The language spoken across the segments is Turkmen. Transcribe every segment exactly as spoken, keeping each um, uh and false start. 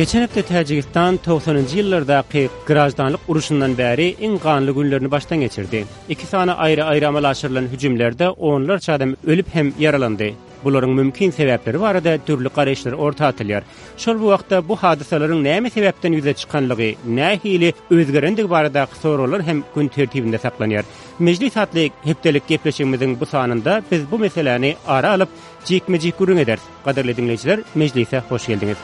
Geçen hepde Täjigistan togsanynjy ýyllardaky graždanlyk urşundan bäri iň ganly günlerini başdan geçirdi. Iki sany aýry-aýry amala aşyrylan hüjümlerde onlarça adam ölüp hem ýaralandy. Bularyň mümkin sebäpleri barada dürli garaýyşlar orta atylýar. Şol bir wagtda bu hadysalaryň näme sebäpden ýüze çykanlygy, nähili özgerendigi baradaky soraglar hem gün tertibinde saklanýar. Mejlis atly hepdelik gepleşigimiziň bu sanynda biz bu meseläni ara alyp jikme-jik gürrüň ederis. Gadyrly diňleýjiler, mejlise hoş geldiňiz.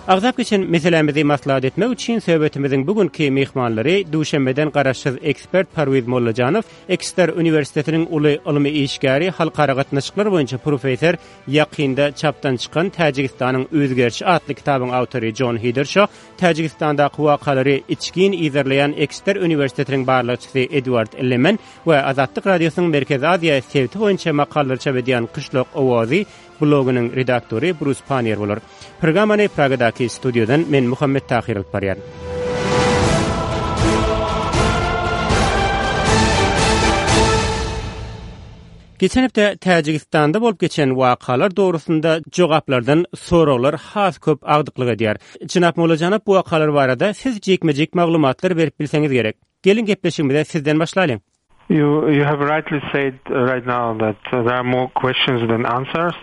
Agzap geçen meselämizi maslahat etmek üçin söhbetimiziň bu günki myhmanlary Duşenbeden garaşsyz ekspert Parwiz Mollajanow, Ekster uniwersitetiniň uly ylmy işgäri, halkara gatnaşyklar boýunça professor, ýakynda çapdan çykan Täjigistanyň özgerişi atly kitabyň awtory Jon Hiderşo, Täjigistandaky wakalary içgin yzarlaýan Ekster uniwersitetiniň barlagçysy Edward Lemen we Azatlyk Radiosynyň Merkezi Aziýa sebiti boýunça makalalary çap edýän Kyşlak Owazy blogynyň redaktory Brus Pannier bolar. Programmany Pragadaky studiýadan men Muhammet Tahir alyp barýan. Geçen hepde Täjigistanda bolup geçen wakalar dogrusynda jogaplardan soraglar has köp agdyklyk edýär. Jenap Mollajanow, bu wakalar barada siz jikme-jik maglumatlar berip bilseňiz gerek. Geliň gepleşigimize sizden başlalyň. You, you have rightly said right now that there are more questions than answers.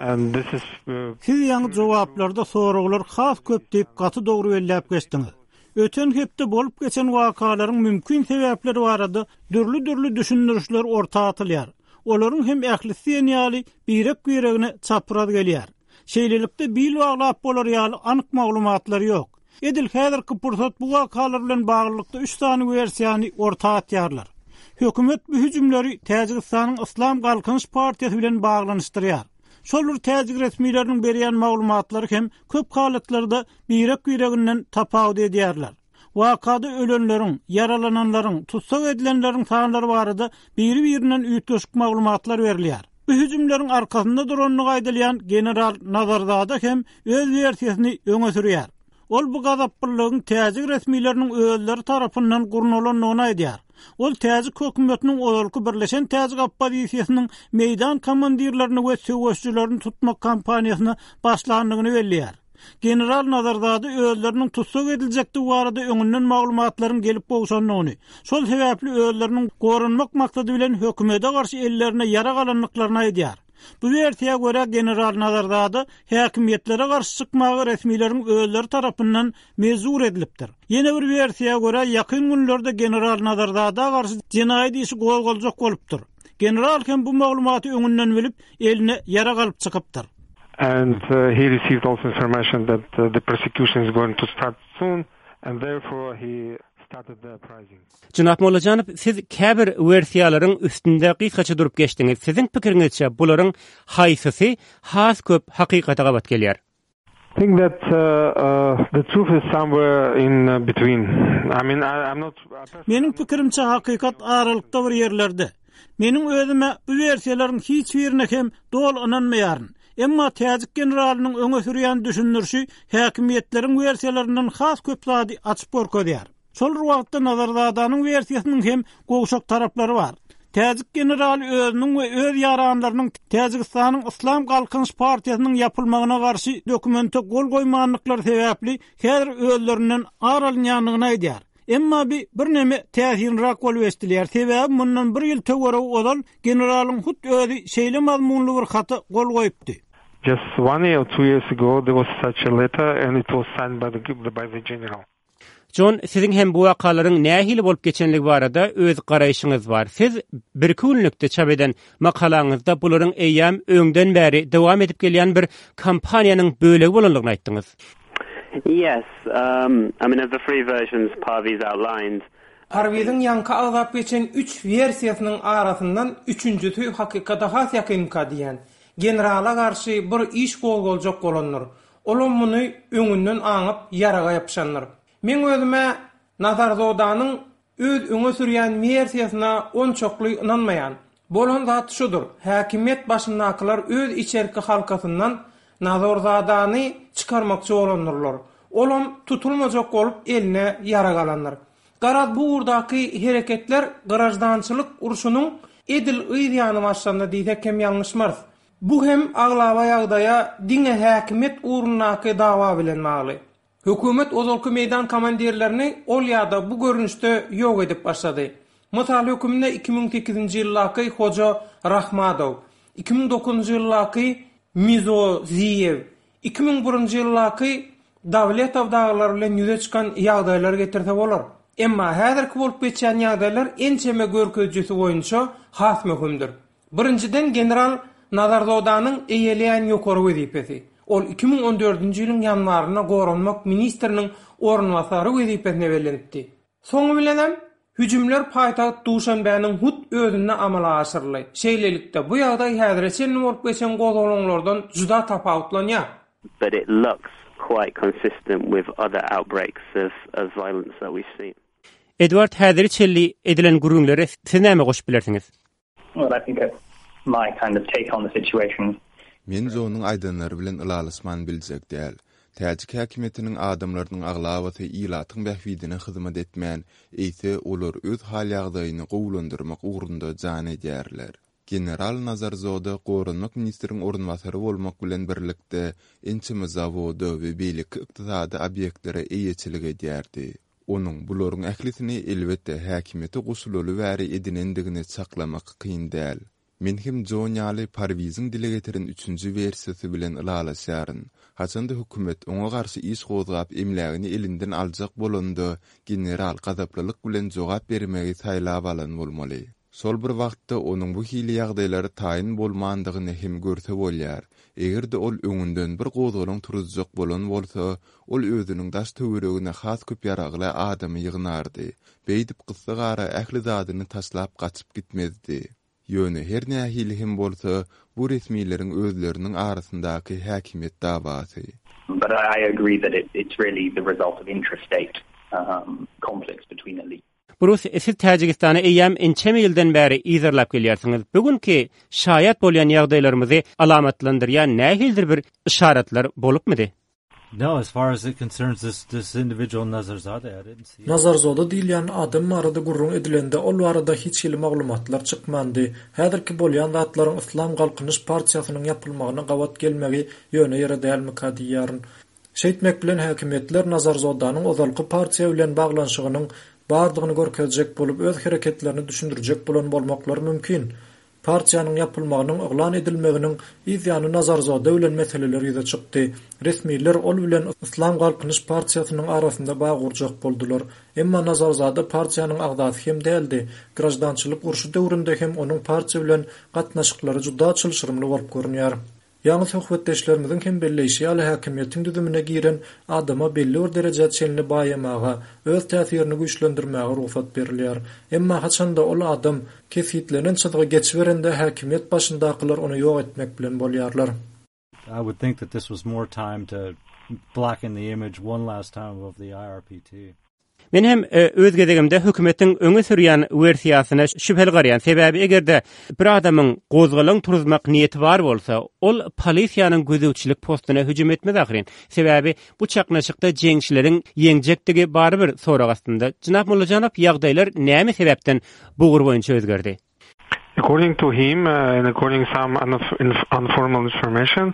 And this is uh, Siz ýaňy jogaplarda soraglar has köp diýip gaty dogry belläp geçdiňiz. Öten hepde bolup geçen wakalaryň mümkin sebäpleri barada dürli-dürli düşündirişler orta atylýar. Olaryň hem ählisi ýaly birek-biregine çapraz gelýär. Şeýlelikde bil baglap bolar ýaly anyk maglumatlar ýok. Edil häzirki pursat bu wakalar bilen baglylykda üç sany wersiýany orta atýarlar. Hökümet bu hüjümleri Täjigistanyň Islam Galkynyş partiýasy bilen baglanyşdyrýar. Şol bir täjik resmileriniň berýän maglumatlary hem köp halatlarda birek-bireginden tapawut edýärler. Wakada ölenleriň, ýaralananlaryň, tussag edilenleriň sanlary barada biri-birinden üýtgeşik maglumatlar berilýär. Bu hüjümleriň arkasynda durandygy aýdylýan general Nazarzada hem öz wersiýasyny öňe sürýär. Ol bu gazaplylygyň täjik resmileriniň özleri tarapyndan gurnalandygyny aýdýar. Ol täjik hökümetiniň ozalky Birleşen Täjik oppozisiýasynyň meýdan komandirlerini we söweşçilerini tutmak kampaniýasyna başlandygyny belleýär. General Nazarzada özleriniň tussag ediljekdigi barada öňünden maglumatlaryň gelip gowşandygyny, şol sebäpli özleriniň goranmak maksady bilen hökümete garşy ellerine ýarag alandyklaryny aýdýar. Bu wersiýa görä general Nazarzada häkimiýetlere garşy çykmagy resmileriň özleri tarapyndan mejbur edilipdir. Ýene bir wersiýa görä ýakyn günlerde general Nazarzada garşy jenaýat işi gozgaljak bolupdyr. General hem bu maglumaty öňünden bilip, eline ýarag alyp çykypdyr. And uh, he received also information that uh, the prosecution is going to start soon, and therefore he started the uprising. Jenap Mollajanow, siz käbir wersiýalaryň üstünde gysgaça durup geçdiňiz. Siziň pikiriňizçe bularyň haýsysy has köp hakykata gabat gelýär? I think that uh, uh, the truth is somewhere in uh, between. I mean, I, I'm not. Meniň pikirimçe hakykat aralykda bir ýerlerde. Meniň özüme bu wersiýalaryň hiç birine hem doly ynanmaýaryn. Emma täjik generalynyň öňe sürýän düşündirişi häkimiýetleriň wersiýalaryndan has köp zady açyp görkezýär. Şol bir wagtda Nazarzadanyň wersiýasynyň hem gowşak taraplary bar. Täjik generaly özüniň we öz ýaranlarynyň Täjigistanyň Islam Galkynyş partiýasynyň ýapylmagyna garşy dokumente gol goýmandyklary sebäpli häzir özlerinden ar alynýandygyny aýdýar. Emma bi birneme täsinräk bolup eşidilýär. Sebäbi mundan bir ýyl töweregi ozal generalyň hut özi şeýle mazmunly bir hata gol goýupdy. Just one year or two years ago, there was such a letter, and it was signed by the by the general. John, siziň hem bu wakalaryň nähili bolup geçenligi barada öz garaýşyňyz bar. Siz bir günlükde çap eden makalaňyzda bularyň eýýäm öňden bäri dowam edip gelýän bir kampaniýanyň bölegi bolandygyny aýtdyňyz. Yes, um, I mean, of the three versions Parviz outlined, Parwiziň ýaňky agzap geçen üç wersiýasynyň arasyndan üçünjisi hakykata has ýakynka diýen. Generala garşy bir iş gozgaljak bolandyr. Olam muny öňünden aňyp ýaraga ýapyşandyr. Men özüme Nazarzodanyň öz öňe sürýän wersiýasyna onçakly ynanmaýan. Bolan zat şudur. Häkimiýet başyndakylar öz içerki halkasyndan Nazarzadany çykarmakçy bolandyrlar. Olam tutulmajak bolup eline ýarag alandyr. Garaz bu ugurdaky hereketler graždançylyk urşunyň edil yz ýany başlandy diýsek hem ýalňyşmarys. Bu hem aglaba ýagdaýa diňe häkimiýet ugrundaky dawa bilen bagly. Hökümet ozalky meýdan komandirlerini ol ýa-da bu görnüşde ýok edip başlady. Mysal hökmünde iki müň sekizinji ýyldaky Hoja Rahmadow, iki müň dokuzynjy ýyldaky Mizoziýew, iki müň birinji ýyldaky Dawletow dagylar bilen ýüze çykan ýagdaýlary getirse bolar. Emma häzirki bolup geçýän ýagdaýlar ençeme görkezijisi boýunça has möhümdir. Birinjiden general Nazarzodanyň eýeleýän ýokary wezipesi. Ol iki müň on dördünji ýylyň ýanwarynda goranmak ministriniň orunbasary wezipesine bellenipdi. Soňy bilenem hüjümler paýtagt Duşanbäniň hut özünde amala aşyryldy. Şeýlelikde, bu ýagdaý häzire çenli bolup geçen gozgalaňlardan juda tapawutlanýar. But it looks quite consistent with other outbreaks of of violence that we've seen. Edward, häzire çenli edilen gürrüňlere siz näme goşup bilersiňiz? Well, I think my kind of take on the situation. Men Jonyň aýdanlary bilen ylalaşman biljek däl. Täjik häkimiýetiniň adamlarynyň aglabasy ilatyň bähbidine hyzmat etmän, eýse olar öz hal-ýagdaýyny gowulandyrmak ugrunda jan edýärler. General Nazarzoda goranmak ministriň orunbasary bolmak bilen birlikde ençeme zawoda we beýleki ykdysady obýektlere eýeçilik edýärdi. Onuň bularyň ählisini elbetde häkimiýete goşulaly bäri edinendigini çaklamak kyn däl. Men hem Jon ýaly Parwiziň dile getiren üçünji wersiýasy bilen ylalaşýaryn. Haçanda hökümet oňa garşy iş gozgap emlägini elinden aljak bolanda general gazaplylyk bilen jogap bermegi saýlap alan bolmaly. Şol bir wagtda onuň bu hili ýagdaýlara taýyn bolmandygyny hem görse bolýar. Eger-de ol öňünden bir gozgalaň turuzjak bolan bolsa, ol özüniň daş töweregine has köp ýaragly adamy ýygnardy. Beýdip gyssagara ähli zadyny taşlap gaçyp gitmezdi. Ýöne her nähili hem bolsa, bu resmileriň özleriniň arasyndaky häkimiýet dawasy. But I agree that it, it's really the result of intrastate, um, conflicts between elites. Brus, siz Täjigistana eýýäm ençeme ýyldan bäri yzarlap gelýärsiňiz. Bu günki şaýat bolýan ýagdaýlarymyzy alamatlandyrýan nähilidir bir yşaratlar bolupmydy? No, as far as it concerns this, this individual Nazarzade, I didn't see it. Nazarzoda diýilýän adam barada gürrüň edilende ol barada hiç hili maglumatlar çykmandy. Häzirki bolýan zatlaryň Yslam Galkynyş partiýasynyň ýapylmagyna gabat gelmegi ýöne ýere dälmika diýýärin. Şeýtmek bilen häkimiýetler Nazarzodanyň ozalky partiýa bilen baglanyşygynyň bardygyny görkezjek bolup öz hereketlerini düşündirjek bolan bolmaklary mümkin. Partiýanyň ýapylmagynyň yglan edilmeginiň yz ýany Nazarzoda bilen meseleler ýüze çykdy. Resmiler ol bilen Yslam Galkynyş partiýasynyň arasynda bag gurjak boldular. Emma Nazarzada partiýanyň agzasy hem däldi. Grajdançylyk urşy döwründe hem onuň partiýa bilen gatnaşyklary juda çylşyrymly bolup görünýär. Ýaňy söhbetdeşlerimiziň hem belleýşi ýaly häkimiýetiň düzümine giren adama belli bir derejä çenli baýamaga, öz täsirini güýçlendirmäge rugsat berilýär. Emma haçanda ol adam kesgitlenen çyzgy geçiberende häkimiýet başyndakylar ony ýok etmek bilen bolýarlar. I would think that this was more time to blacken the image one last time of the I R P T. Men hem, e, öz gezegimde hökümetiň öňe sürýän wersiýasyna şübheli garaýan. Sebäbi eger-de bir adamyň gozgalaň turuzmak niýeti bar bolsa, ol polisiýanyň gözegçilik postuna hüjüm etmez ahyryn. Sebäbi bu çaknyşykda jeňçileriň ýeňjekdigi barybir sorag astynda. Jenap Mollajanow, ýagdaýlar näme sebäpden bu ugur boýunça özgerdi? According to him, uh, and according some unf-, inf-, informal information,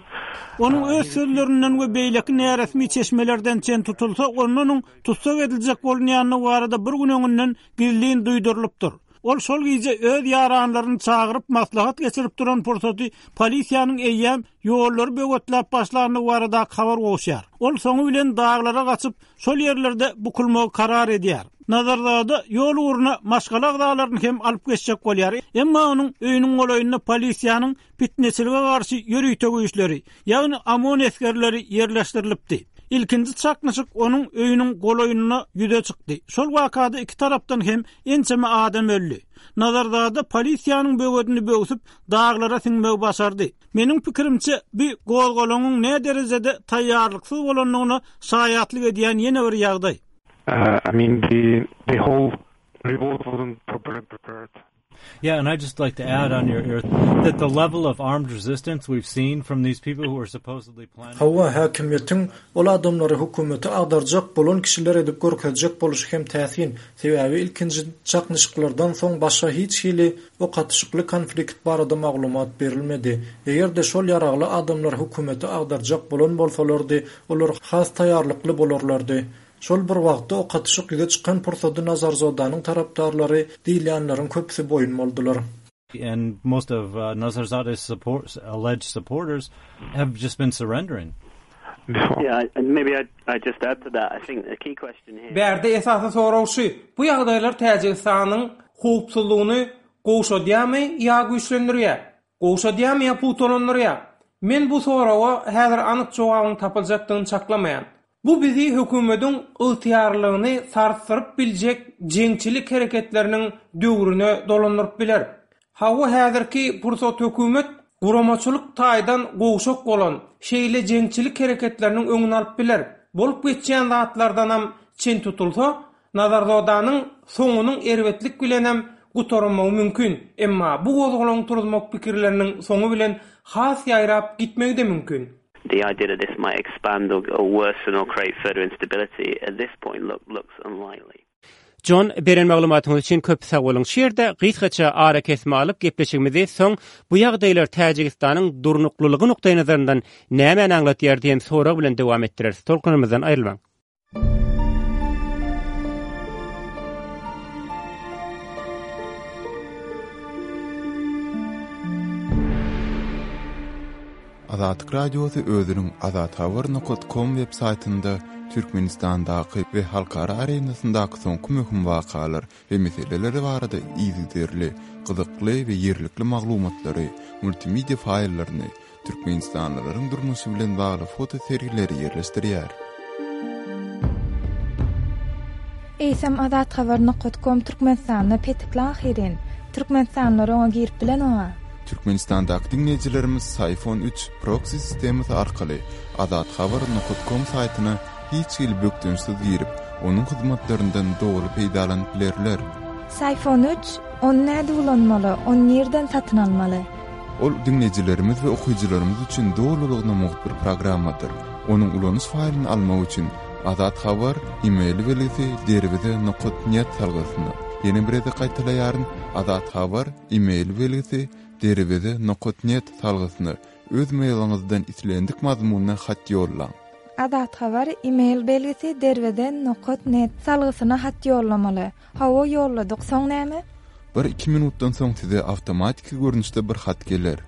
Onuň öz sözlerinden we beýleki näresmi çeşmelerden çen tutulsa, ondan tutsak ediljek bolunýanlygy barada bir gün öňünden gizlin duýdurylypdyr. Ol şol gije öz ýaranlaryny çagyryp maslahat geçirip duran pursaty polisiýanyň eýýäm ýollary böwetläp başlandygy barada habar gowşýar. Ol soňy bilen daglara gaçyp, şol ýerlerde bukulmagy karar edýär. Nazarzada ýol ugruna maşgala agzalaryny hem alyp geçjek bolýar. Emma onuň öýüniň golaýynda polisiýanyň fitneçilige garşy ýörite güýçleri, ýagny OMON esgerleri ýerleşdirilipdi. Ilkinji çaknyşyk onuň öýüniň golaýynda ýüze çykdy. Şol wakada iki tarapdan hem ençeme adam öldi. Nazarzada polisiýanyň böwedini böwsüp daglara siňmegi başardy. Meniň pikirimçe bu gozgalaňyň ne derejede taýýarlyksyz bolandygyna şaýatlyk edýän ýene bir ýagdaý. Uh, I mean, the, the whole revolt wasn't properly prepared. Yeah, and I'd just like to add on your ear that the level of armed resistance we've seen from these people who are supposedly planning... Hawa, häkimiýetiň ol adamlary hökümeti agdarjak bolan kişiler edip görkezjek boluşy hem täsin. Sebäbi ilkinji çaknyşyklardan soň başga hiç hili ok atyşykly konflikt barada maglumat berilmedi. Eger-de şol ýaragly adamlar hökümeti agdarjak bolan bolsalardy, olar has taýýarlykly bolarlardy. Şol bir wagtda ok atyşyk ýüze çykan pursady Nazarzodanyň tarapdarlary diýilýänleriň köpüsi boýun boldular. And most of uh, Nazarzoda's support, alleged supporters have just been surrendering. Yeah, and maybe I'd, I'd just add to that. I think the key question here... Bärde esasy sorag şu, bu ýagdaýlar Täjigistanyň howpsuzlygyny gowşadýarmy ýa güýçlendirýär? Gowşadýarmy ýa pugtalandyrýar? Men bu soraga häzir anyk jogabyň tapyljakdygyny çaklamaýan. Bu bizi hökümetiň ygtyýarlygyny sarsdyryp biljek jeňçilik hereketleriniň döwrüne dolandyryp biler. Hawa häzirki pursat hökümet guramaçylyk taýdan gowşak bolan şeýle jeňçilik hereketleriniň öňüni alyp biler. Bolup geçýän zatlardanam çen tutulsa, Nazarzodanyň soňunyň erbetlik bilenem gutarylmagy mümkin. Emma bu gozgalaň turuzmak pikirleriniň soňy bilen has ýaýrap gitmegi de mümkin. The idea that this might expand or, or worsen or create further instability at this point look, looks unlikely. John, beren maglumatyňyz üçin köp sag boluň. Şu ýerde gysgaça ara kesme alyp gepleşigimizi soň bu ýagdaýlar Täjigistanyň durnuklylygy nukdaýnazaryndan nämäni aňlatýar diýen sorag bilen dowam etdireris. Tolkunymyzdan aýrylmaň. Azatlyk Radiosy özüniň azathabar nokat com web saýtynda Türkmenistandaky we halkara arenasyndaky soňky möhüm wakalar we meseleleri barada yzygiderli, gyzykly we ýerlikli maglumatlary, multimedia faýllaryny, Türkmenistanlylaryň durmuşy bilen bagly foto sergileri ýerleşdirýär. Eýsem azathabar nokat com Türkmenistanda petikli ahyrin. Türkmenistanlylar oňa girip bilen oňa. Türkmenistandaky diňleýjilerimiz Syfon üç proxy sistemasy arkaly azathabar nokat com saýtyna hiç hili bökdençsiz girip, onuň hyzmatlaryndan doly peýdalanyp bilerler. Syfon üç, ony näde ulanmaly, ony nirden satyn almaly? Ol diňleýjilerimiz we okyjylarymyz üçin dolulygyna mugt bir programmadyr. Onuň ulanyş faýlyny almak üçin Azathabar e-mail belgisi derweze nokat net salgysyna. Ýene bir gezek gaýtalaýaryn, Azathabar e-mail belgisi derweze nokat net salgysyna öz mailiňizden islendik mazmunyna hat ýollaň. Azathabar e-mail belgisi derweze nokat net salgysyna hat ýollamaly. Hawa ýolladyk, soň näme? Bir iki minutdan soň size awtomatiki görnüşde bir hat geler.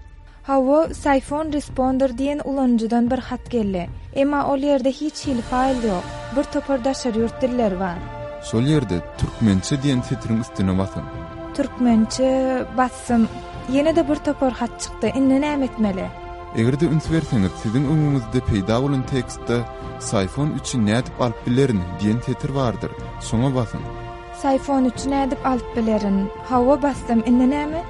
Hawa, Syfon Responder diýen ulanyjydan bir hat geldi. Emma ol ýerde hiç hili faýl ýok. Bir topar daşary ýurt dilleri bar. Şol ýerde türkmençe diýen setiriň üstüne basyň. Türkmençe bassym. Ýene de bir topar hat çykdy. Indi näme etmeli? Eger-de üns berseňiz, siziň öňüňizde peýda bolan tekstde Syfon üçi nädip alyp bilerin diýen setir bardyr. Şoňa basyň. Syfon üçi nädip alyp bilerin? Hawa bassym, indi näme?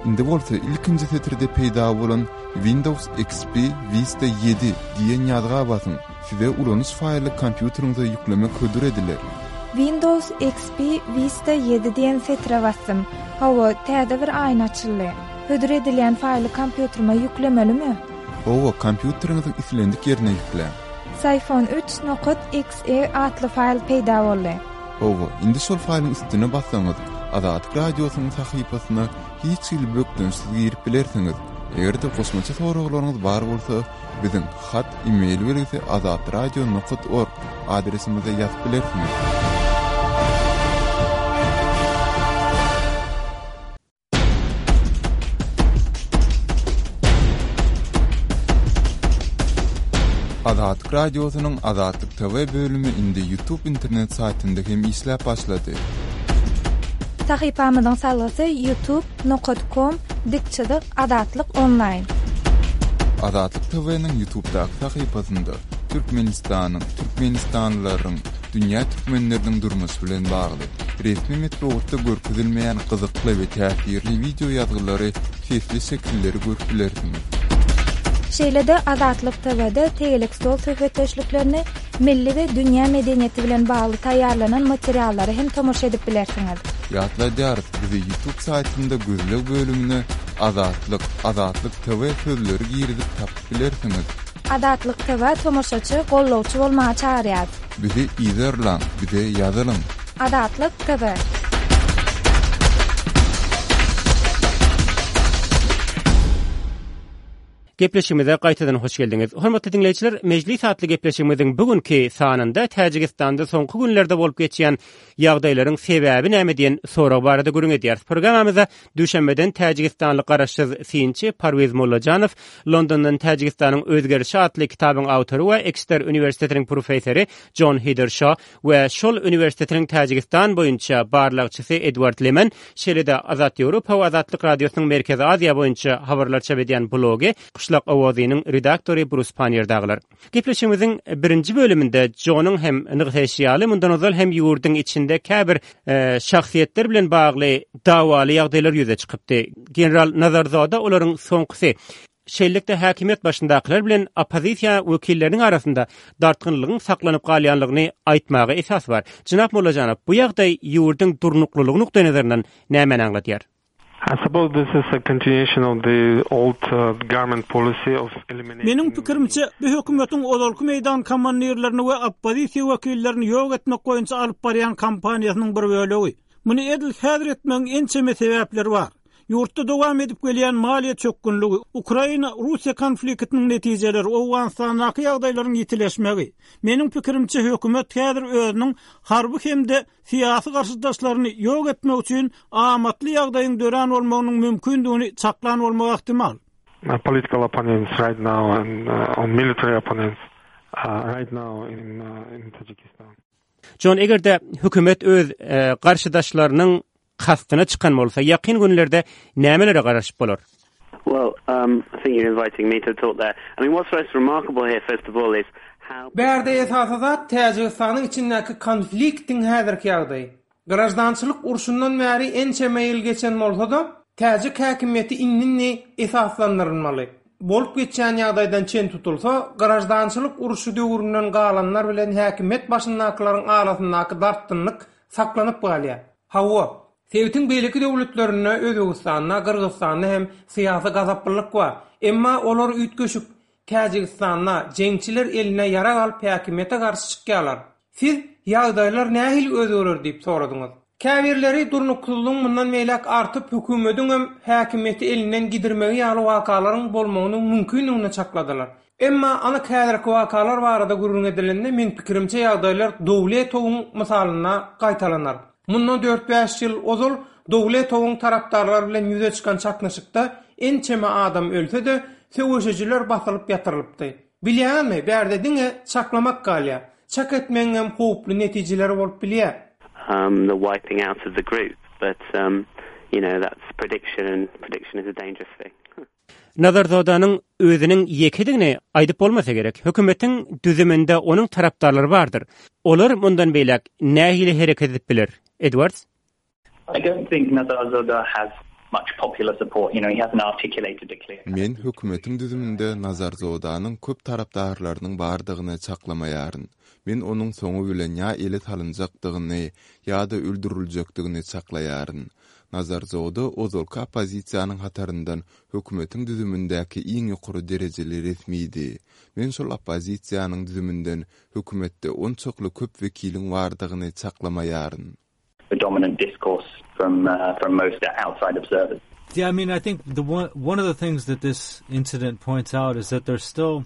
Indi bolsa ilkinji setirde peýda bolan Windows X P Vista ýedi diýen ýazga basyň. Size ulanyş faýly kompýuteriňize ýüklemek hödür ediler. Windows X P Vista ýedi diýen setire bassym. Hawa, täze bir aýna açyldy. Hödür edilýän faýly kompýuterime ýüklemelimi? Hawa, kompýuteriňiziň islendik ýerine ýükläň. Syfon üç nokat X E atly faýl peýda boldy. Hawa, indi şol faýlyň üstüne bassaňyz, Azatlyk Radiosynyň sahypasyna hiç hili bökdençsiz girip bilersiňiz. Eger-de goşmaça soraglaryňyz bar bolsa, biziň hat e-mail belgisi azatradio nokat org adresimize ýazyp bilersiňiz. Azatlyk Radiosynyň Azatlyk T V bölümi indi YouTube internet saýtynda hem işläp başlady. Sahypamyzyň salgysy youtube nokat com dikçilik Azatlyk onlaýn. Azatlyk T V-niň YouTube'daky sahypasynda Türkmenistanyň, Türkmenistanlylaryň, dünýä türkmenleriniň durmuşy bilen bagly resmi metbugatda görkezilmeýän gyzykly we täsirli video ýazgylary, sesli şekilleri görüp bilersiňiz. Şeýle-de Azatlyk T V-de tegelek stol söhbetdeşliklerini, Milli we dünýä medeniýeti bilen bagly taýýarlanan materiallara hem tomaşa edip bilersiňiz. Ýatladýarys, bizi YouTube saýtynda gözleg bölümine Azatlyk, Azatlyk T W sözleri girizip tapyp bilersiňiz. Azatlyk T W tomaşaçy, gollawçy bolmaga çagyrýar. Bizi yzarlaň, bize ýazylyň. Azatlyk T W. Gepleşigimize gaýtadan hoş geldiňiz. Hormatly diňleýjiler, Mejlis atly gepleşigimiziň bu günki sanynda Täjigistanda soňky günlerde bolup geçýän ýagdaýlaryň sebäbi näme diýen sorag barada gürrüň edýäris. Programmamyzda Duşenbeden Täjigistanly garaşsyz synçy Parwiz Mollajanow, Londondan Täjigistanyň özgerişi atly kitabyň awtory we Exeter uniwersitetiniň professory John Heathershaw we şol uniwersitetiniň Täjigistan boýunça barlagçysy Edward Leman, şeýle-de Azat Ýewropa we Azatlyk Radiosynyň Merkezi Aziýa boýunça habarlar çap edýän blogy Kuşlak Owazynyň redaktory Brus Pannier dagylar. Gepleşigimiziň birinji bölüminde Johnyň hem nygtaýşy ýaly, mundan ozal hem ýurduň içinde käbir, e, şahsyýetler bilen bagly dawaly ýagdaýlar ýüze çykypdy. General Nazarzoda olaryň soňkusy. Şeýlelikde häkimiýet başyndakylar bilen oppozisiýa wekilleriniň arasynda dartgynlygyň saklanyp galýanlygyny aýtmaga esas bar. Jenap Mollajanow, bu ýagdaý ýurduň durnuklylygy nukdaýnazaryndan nämäni aňladýar? I suppose this is a continuation of the old, uh, government policy of eliminating Meniň pikirimçe, bu hökümetiň ozalky meýdan komandirlerini we oppozisiýa wekillerini ýok etmek boýunça alyp barýan kampaniýasynyň bir bölegi. Muny edil häzir etmegiň ençeme sebäpleri bar. Ýurtda dowam edip gelýän maliýe çökgünligi, Ukraina-Russiýa konfliktiniň netijeleri, Owganystandaky ýagdaýlaryň ýitileşmegi. Meniň pikirimçe, hökümet häzir özüniň harby hem-de syýasy garşydaşlaryny ýok etmek üçin amatly ýagdaýyň dörän bolmagynyň mümkindigini çaklan bolmagy ähtimal. Uh, political opponents right now and, uh, on military opponents, uh, right now in, uh, in Tajikistan. John, eger-de hökümet öz, e, garşydaşlarynyň kastyna çykan bolsa, ýakyn günlerde nämelere garaşyp bolar? Well, um, I think you're inviting me to talk there. I mean, what's most remarkable here, first of all, is how Bärde esasy zat Täjigistanyň içindäki konfliktiň häzirki ýagdaýy. Grajdançylyk urşundan bäri ençeme ýyl geçen bolsa-da, täjik häkimiýeti indi esaslandyrylmaly. Bolup geçýän ýagdaýdan çen tutulsa, grajdançylyk urşy döwründen galanlar bilen häkimiýet başyndakylaryň arasyndaky dartgynlyk saklanyp galýar. Hawa, sebitiň beýleki döwletlerinde Özbegistanda, Gyrgyzystanda hem syýasy gazaplylyk bar. Emma olar üýtgeşik. Täjigistanda jeňçiler eline ýarag alyp häkimiýete garşy çykýarlar. Siz ýagdaýlar nähili özgerer diýip soradyňyz. Käbirleri durnuksyzlygyň mundan beýläk artyp hökümetiň hem häkimiýeti elinden gidirmegi ýaly wakalaryň bolmagynyň mümkindigini çakladylar. Emma anyk häzirki wakalar barada gürrüň edilende men pikirimçe ýagdaýlar Dowletowyň mysalynda gaýtalanar. Mundan dört bäş ýyl ozal Dowletowyň tarapdarlary bilen ýüze çykan çaknyşykda ençeme adam ölse-de, söweşijiler basylyp ýatyrylypdy. Bilýärmi, bärde diňe çaklamak galýar. Çak etmegiň hem howply netijeleri bolup bilýär. Um, the wiping out of the group, but, um, you know, that's prediction, and prediction is a dangerous thing. Nazarzodanyň özüniň ýekedigini aýdyp bolmasa gerek. Hökümetiň düzüminde onuň tarapdarlary bardyr. Olar mundan beýläk nähili hereket edip biler? Edwards? I don't think Nazarzoda has much popular support. You know, he hasn't articulated a clear Men hökümetiň düzüminde Nazarzodanyň köp tarapdarlarynyň bardygyny çaklamaýaryn. Men onuň soňy bilen ýa ele salynjakdygyny ýa-da öldüriljekdigini çaklaýaryn. Nazarzoda ozalky oppozisiýanyň hataryndan hökümetiň düzümindäki iň ýokary derejeli resmiydi. Men şol oppozisiýanyň düzüminden hökümetde onçakly köp wekiliň bardygyny çaklamaýaryn. The dominant discourse from, uh, from most outside observers. Yeah, I mean, I think the one, one of the things that this incident points out is that there's still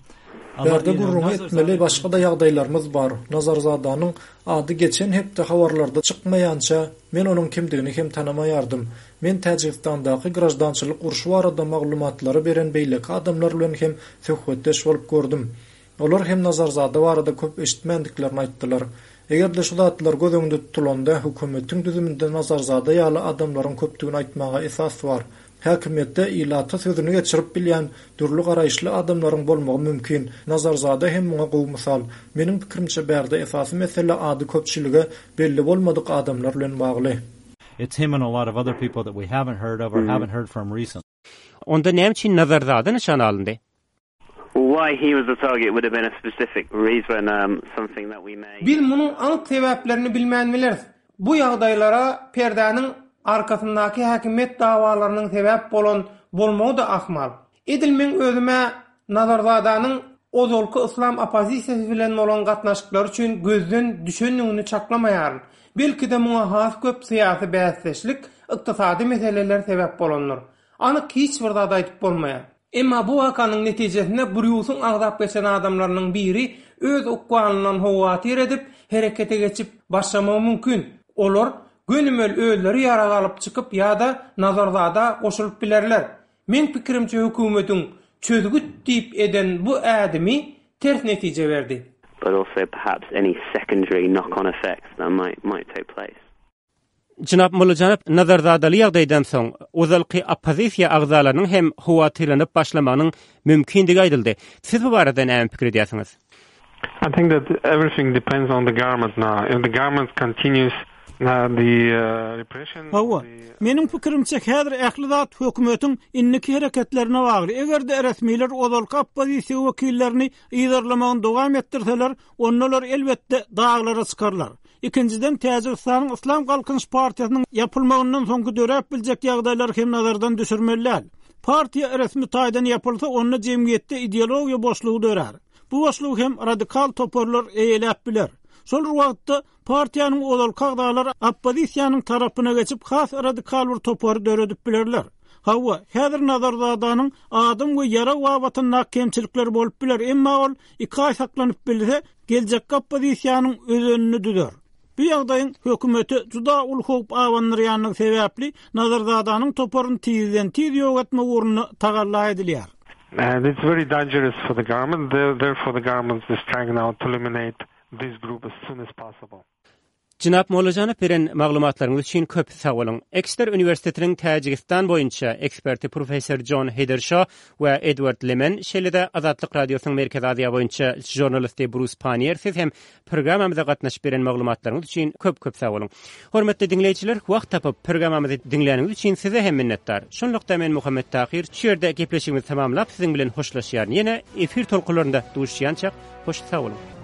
a lot, Bärde you know, gürrüňi Nazarzada etmeli başga-da ýagdaýlarymyz bar. Nazarzadanyň ady geçen hepde habarlarda çykmaýança men onuň kimdigini hem tanamaýardym. Men Täjigistandaky grajdançylyk urşy barada maglumatlary beren beýleki adamlar bilen hem söhbetdeş bolup gördüm. Olar hem Nazarzada barada köp eşitmändiklerini aýtdylar. Eger-de şu zatlar göz öňünde tutulanda hökümetiň düzüminde Nazarzada ýaly adamlaryň köpdügini aýtmaga esas bar. Häkimiýetde ilata sözüni geçirip bilýän dürli garaýyşly adamlaryň bolmagy mümkin. Nazarzada hem muňa gowy mysal. Meniň pikirimçe bärde esasy mesele ady köpçülige belli bolmadyk adamlar bilen bagly. It's him and a lot of other people that we haven't heard of or Hmm. haven't heard from recently. Onda näme üçin Nazarzada nyşan alyndy? Why he was the target would have been a specific reason, um, something that we may... Biz munuň anyk sebäplerini bilmän bileris. Bu ýagdaýlara perdäniň arkasyndaky häkimiýet dawalarynyň sebäp bolan bolmagy-da ahmal. Edil meň özüm-ä Nazarzadanyň ozalky yslam oppozisiýasy bilen bolan gatnaşyklary üçin gözden düşendigini çaklamaýaryn. Belki-de muňa has köp syýasy bäsdeşlik, ykdysady meseleler sebäp bolandyr. Anyk hiç bir zat aýdyp bolmaýar. Emma bu wakanyň netijesinde Brýusyň agzap geçen adamlarynyň biri öz ykbalyndan howatyr edip, herekete geçip başlamagy mümkin. Olar gönümel özleri ýarag alyp çykyp ýa-da Nazarzada goşulyp bilerler. Meň pikirimçe hökümetiň çözgüt diýip eden bu ädimi ters netije berdi. But also perhaps any secondary knock-on effects that might might take place. Jenap Mollajanow Nazarzadaly ýagdaýdan soň ozalky oppozisiýa agzalarynyň hem howatyrlanyp başlamagynyň mümkindigi aýdyldy. Siz bu barada näme pikir edýärsiňiz? I think that everything depends on the government now. If the government continues uh, the uh, repression Hawa, meniň pikirimçe häzir ähli zat hökümetiň indiki hereketlerine bagly. Eger-de resmiler ozalky oppozisiýa wekillerini yzarlamagyny dowam etdirseler, ondalar elbetde daglara çykarlar. Ikinjiden Täjigistanyň Yslam Galkynyş partiýasynyň ýapylmagyndan soňky döräp biljek ýagdaýlar hem nazardan düşürmeli däl. Partiýa resmi taýdan ýapylsa, onda jemgyýetde ideologiýa boşlugy dörär. Bu boşlugy hem radikal toparlar eýeläp biler. Şol wagtda partiýanyň ozalky agzalary oppozisiýanyň tarapyna geçip has radikal bir topary döredip bilerler. Hawa, häzir Nazarzadanyň adam we ýarag babatynda kemçilikler bolup biler, emma ol iki aý saklanyp bilse, geljek oppozisiýanyň özenini düzer. Bu ýagdaýyň hökümeti juda uly howp abandyrýanlygy sebäpli Nazarzadanyň toparyny tizden tiz ýok etmek ugrunda tagalla edilýär. And it's very dangerous for the government. Therefore, the government is trying now to eliminate this group as soon as possible. Jenap Mollajanow beren maglumatlaryňyz üçin köp sag boluň. Exeter Uniwersitetiniň Täjigistan boýunça eksperti professor John Heathershaw we Edward Lemen, şeýle-de Azatlyk Radiosynyň Merkezi Aziýa boýunça žurnalisti Bruce Pannier siz hem programmamyza gatnaşyp beren maglumatlaryňyz üçin köp-köp sag boluň. Hormatly diňleýjiler, wagt tapyp programmamyzy diňläniňiz üçin size hem minnetdar. Şunlukda men Muhammet Tahir şu ýerde gepleşigimizi tamamlap siziň bilen hoşlaşýaryn. Ýene efir tolkunlarynda duşýança hoş sag boluň.